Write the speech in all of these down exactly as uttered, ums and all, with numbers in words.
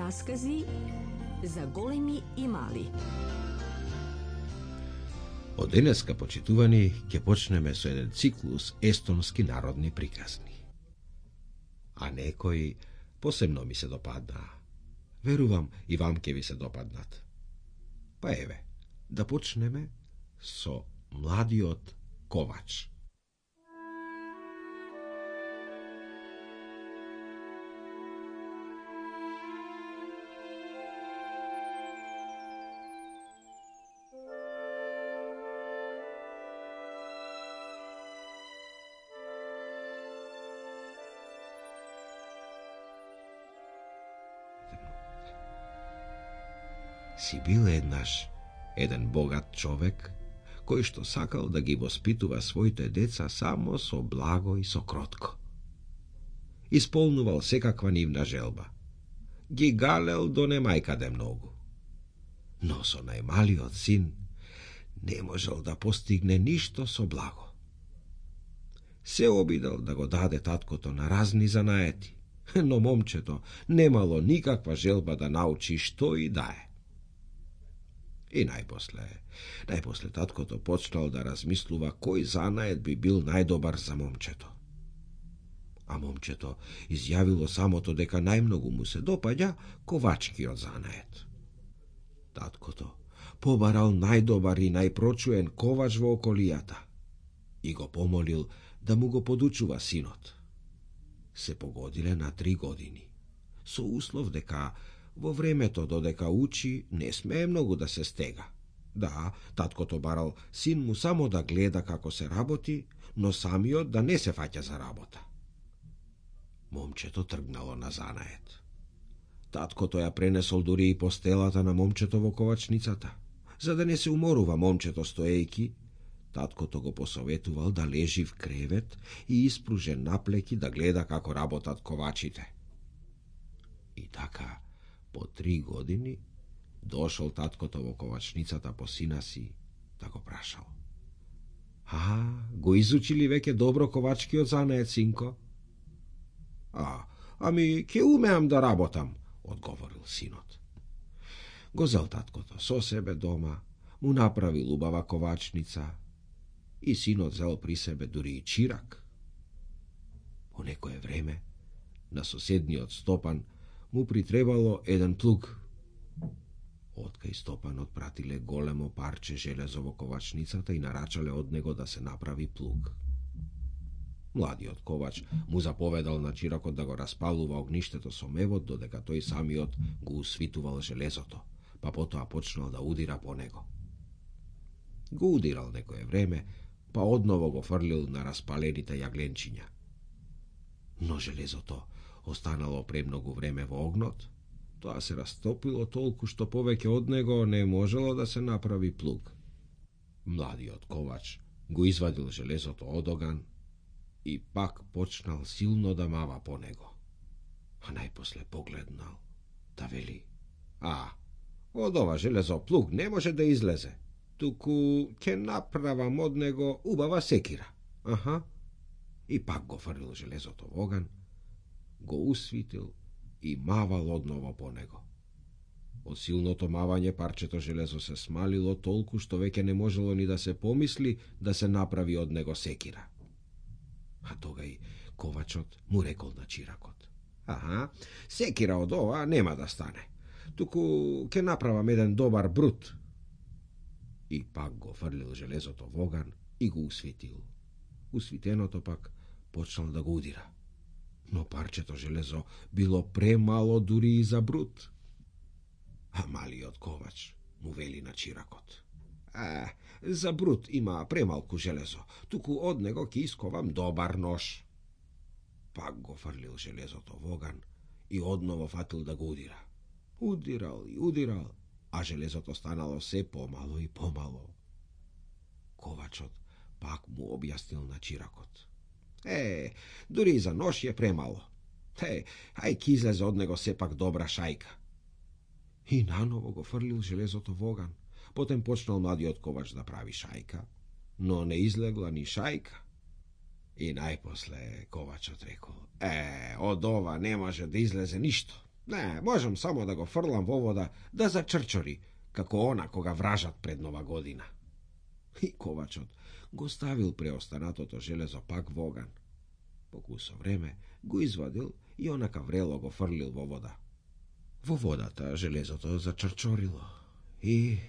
Раскази за големи и мали. Од денеска, почитувани, ќе почнеме со еден циклус естонски народни приказни. А некои посебно ми се допаднаа. Верувам и вам ќе ви се допаднат. Па еве, да почнеме со младиот ковач. Си бил еднаш еден богат човек, кој што сакал да ги воспитува своите деца само со благо и со кротко. Исполнувал секаква нивна желба. Ги галел до немајкаде многу. Но со најмалиот син не можел да постигне ништо со благо. Се обидел да го даде таткото на разни занаети, но момчето немало никаква желба да научи што и да е. И најпосле, најпосле таткото почнал да размислува кој занает би бил најдобар за момчето. А момчето изјавило самото дека најмногу му се допаѓа ковачкиот занает. Таткото побарал најдобар и најпрочуен ковач во околијата и го помолил да му го подучува синот. Се погодиле на три години, со услов дека во времето додека учи не смее многу да се стега. Да, таткото барал син му само да гледа како се работи, но самиот да не се фаќа за работа. Момчето тргнало на занает. Таткото ја пренесол дури и постелата на момчето во ковачницата. За да не се уморува момчето стоејки, таткото го посоветувал да лежи в кревет и испружен наплеки да гледа како работат ковачите. И така, по три години дошол таткото во ковачницата по сина си да го прашал. А, го изучили веќе добро ковачкиот занает, синко? А, ами, ке умеам да работам, одговорил синот. Го зел таткото со себе дома, му направил убава ковачница и синот зел при себе дури и чирак. По некое време, на соседниот Стопан му притребало еден плуг. Откај Стопанот пратиле големо парче железо во ковачницата и нарачале од него да се направи плуг. Младиот ковач му заповедал на чиракот да го распалува огништето со мевот, додека тој самиот го усвитувал железото, па потоа почнал да удира по него. Го удирал некое време, па одново го фрлил на распалените јагленчиња. Но железото останало премногу време во огнот, тоа се растопило толку што повеќе од него не можело да се направи плуг. Младиот ковач го извадил железото од оган и пак почнал силно да мава по него. А најпосле погледнал, да вели: А, од ова железо плуг не може да излезе, туку ќе направам од него убава секира. Аха. И пак го фрлил железото во оган, го усвитил и мавал одново по него. Од силното мавање парчето железо се смалило толку што веќе не можело ни да се помисли да се направи од него секира. А тогај ковачот му рекол на чиракот: Аха, секира од ова нема да стане, туку ќе направам еден добар брут. И пак го фрлил железото во оган и го усвитил. Усвитеното пак почнал да го удира. Но парчето железо било премало дури и за брут. А малиот ковач му вели на чиракот: А, за брут има премалку железо, туку од него ќе исковам добар нож. Пак го фрлил железото во оган и одново фатил да го удира. Удирал и удирал, а железото станало се помало и помало. Ковачот пак му објаснил на чиракот: Е, дури и за нож е премало. Е, ај ки излезе од него сепак добра шајка. И наново го фрлил железото во оган. Потем почнал младиот ковач да прави шајка, но не излегла ни шајка. И најпосле ковачот рекол: Е, од ова не може да излезе ништо. Не, можам само да го фрлам во вода, да зачрчори, како она кога вражат пред нова година. И ковачот го ставил преостанатото железо пак во оган. По кусо време го извадил и онака врело го фрлил во вода. Во водата железото зачрчорило и,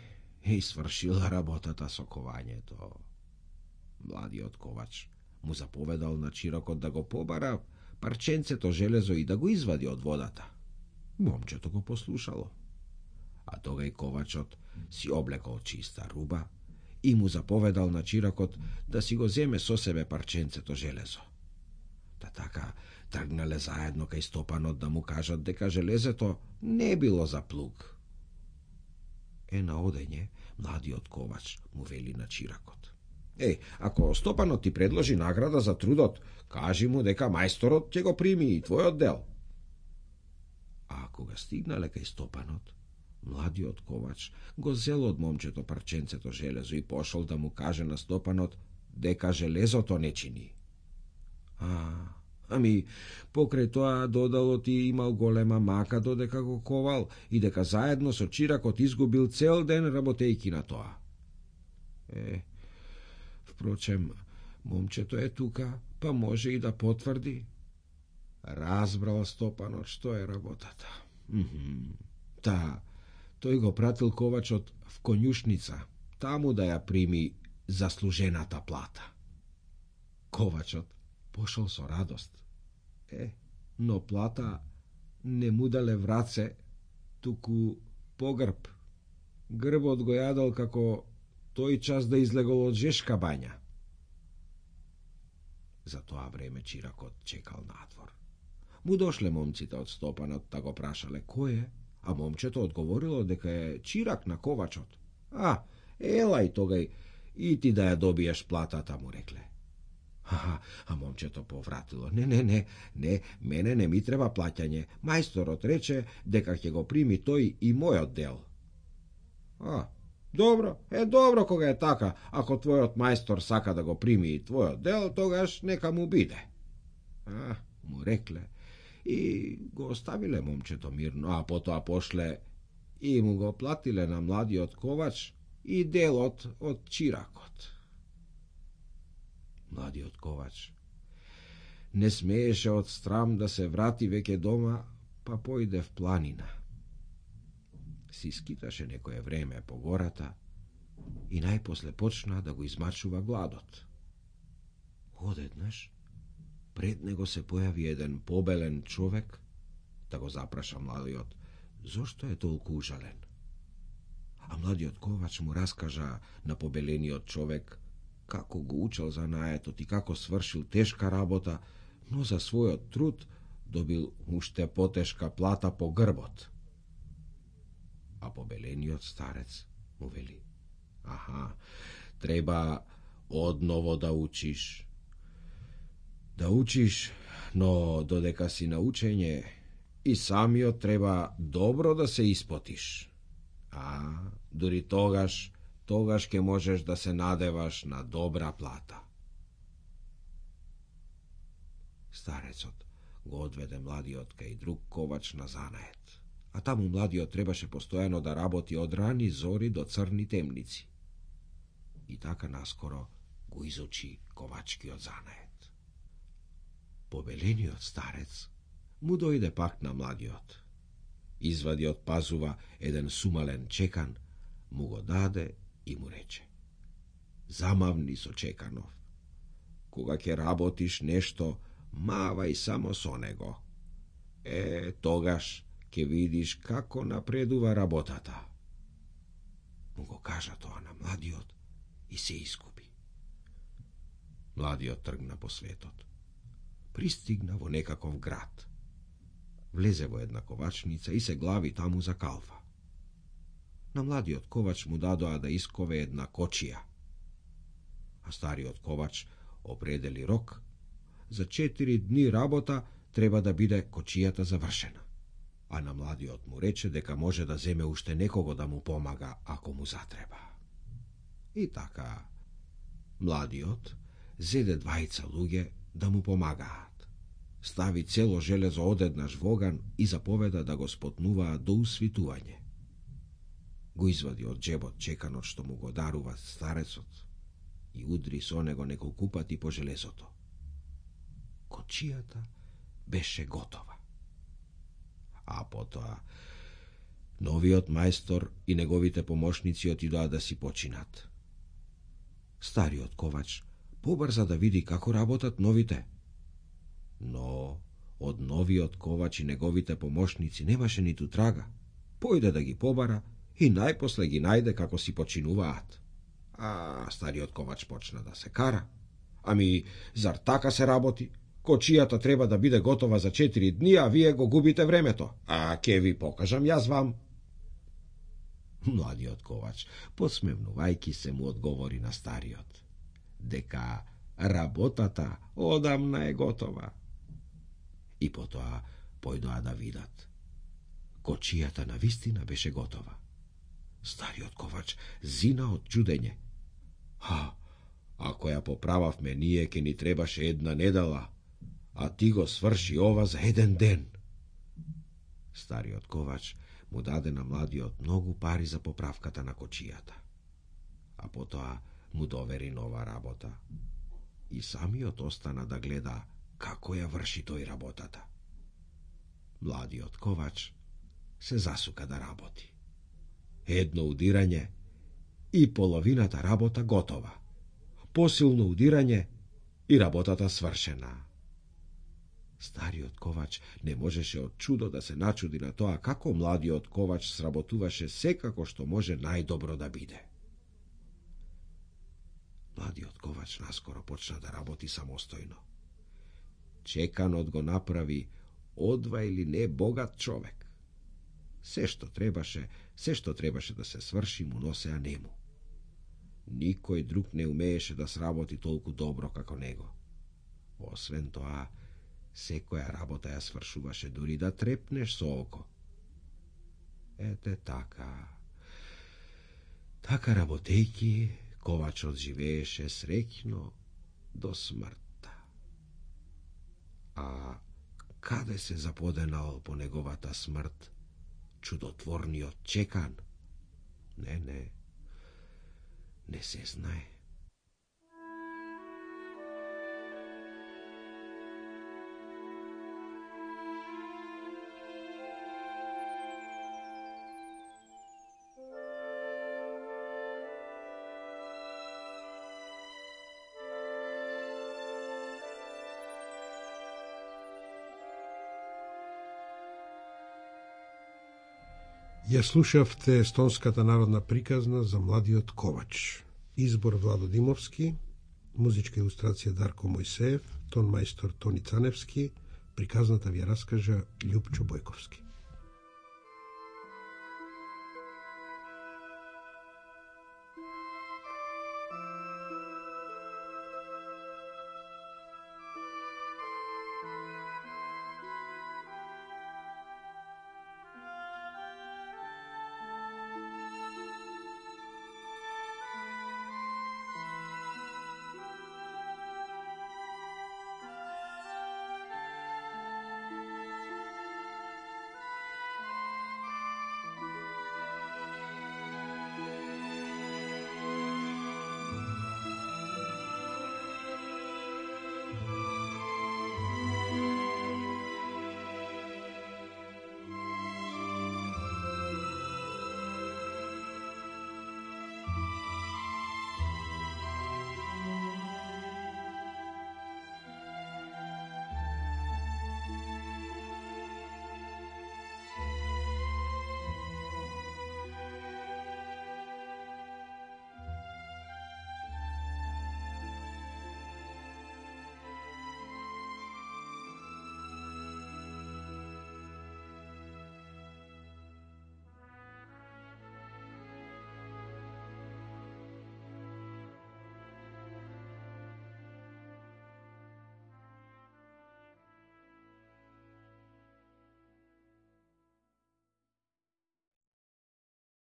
и свршила работата со кованјето. Младиот ковач му заповедал на Чирокот да го побара парченцето железо и да го извади од водата. Момчето го послушало. А тогај ковачот си облекол чиста руба и му заповедал на Чирокот да си го земе со себе парченцето железо. Та така тргнале заедно кај Стопанот да му кажат дека железето не било за плуг. Е, на одење, младиот ковач му вели на Чиракот: Е, ако Стопанот ти предложи награда за трудот, кажи му дека мајсторот ќе го прими и твојот дел. А кога стигнале кај Стопанот, младиот ковач го зел од момчето парченцето железо и пошол да му каже на Стопанот дека железото не чини. А, ами, покрај тоа додало ти имал голема мака додека го ковал и дека заедно со Чиракот изгубил цел ден работејки на тоа. Е, впрочем, момчето е тука, па може и да потврди. Разбрал Стопанот што е работата. Мхм. Та, тој го пратил ковачот в конјушница, таму да ја прими заслужената плата. Ковачот пошол со радост. Е, но плата не му дале враце, туку погрб. Грбот го јадал како тој час да излегол од жешка бања. За тоа време Чиракот чекал надвор. Му дошле момците од Стопанот да го прашале кој е, а момчето одговорило дека е Чирак на ковачот. А, елај тогај и ти да ја добиеш платата, му рекле. А, а момчето повратило: Не, не, не, не, мене не ми треба плаќање. Мајсторот рече дека ќе го прими тој и мојот дел. А, добро, е добро кога е така. Ако твојот мајстор сака да го прими и твојот дел, тогаш нека му биде. А, му рекле и го оставиле момчето мирно, а потоа пошле и му го платиле на младиот ковач и делот од Чиракот. Младиот ковач не смееше од страм да се врати веќе дома, па појде в планина. Си скиташе некое време по гората и најпосле почна да го измачува гладот. Одеднаш пред него се појави еден побелен човек да го запраша младиот зошто е толку ужален. А младиот ковач му раскажа на побелениот човек како го учел занаетот и како свршил тешка работа, но за својот труд добил уште потешка плата по грбот. А побелениот старец му вели: Аха, треба одново да учиш. Да учиш, но додека си на учење и самиот треба добро да се испотиш. А, дури тогаш, тогаш ќе можеш да се надеваш на добра плата. Старецот го одведе младиот кај друг ковач на занает, а таму младиот требаше постојано да работи од рани зори до црни темници. И така наскоро го изучи ковачкиот занает. Побелениот старец му дојде пак на младиот. Извади од пазува еден сумален чекан, му го даде и му рече: Замавни со чеканов. Кога ќе работиш нешто, мавај само со него. Е, тогаш ќе видиш како напредува работата. Му го кажа тоа на младиот и се искупи. Младиот тргна по светот. Пристигна во некаков град. Влезе во една ковачница и се глави таму за калфа. На младиот ковач му дадоа да искове една кочија. А стариот ковач определи рок. За четири дни работа треба да биде кочијата завршена. А на младиот му рече дека може да земе уште некого да му помага ако му затреба. И така, младиот зеде двајца луѓе да му помагаат. стави цело железо одеднаш во оган и заповеда да го спотнуваат до усвитување. Го извади од джебот чеканот што му го дарува старецот и удри со него неколку пати по железото. Кочијата беше готова. А потоа новиот мајстор и неговите помошници отидоа да си починат. Стариот ковач побрза да види како работат новите. Но од новиот ковач и неговите помошници немаше ниту трага. Појде да ги побара и најпосле ги најде како си починуваат. А стариот ковач почна да се кара. Ами, зар така се работи? Кочијата треба да биде готова за четири дни, а вие го губите времето. А ке ви покажам јас вам. Младиот ковач, посмевнувајки се, му одговори на стариот дека работата одамна е готова. И потоа појдоа да видат. Кочијата навистина беше готова. Стариот ковач зина од чудење. Ха, ако ја поправавме ние, ке ни требаше една недела, а ти го сврши ова за еден ден. Стариот ковач му даде на младиот многу пари за поправката на кочијата, а потоа му довери нова работа. И самиот остана да гледа како ја врши тој работата. Младиот ковач се засука да работи. Едно удирање и половината работа готова. Посилно удирање и работата свршена. Стариот ковач не можеше од чудо да се начуди на тоа како младиот ковач сработуваше секако што може најдобро да биде. Младиот ковач наскоро почна да работи самостојно. Чеканот го направи одва или не богат човек. Се што требаше, се што требаше да се сврши, му носеа нему. Никој друг не умееше да сработи толку добро како него. Освен тоа, секоја работа ја свршуваше дури да трепнеш со око. Ете така. Така работејки, ковачот живееше среќно до смртта. А каде се заподенал по неговата смрт чудотворниот чекан? Не, не, не се знае. Ја слушавте естонската народна приказна за младиот ковач. Избор Владо Димовски, музичка илустрација Дарко Мојсеев, тон мајстор Тони Цаневски, приказната ви ја раскажа Љупчо Бојковски.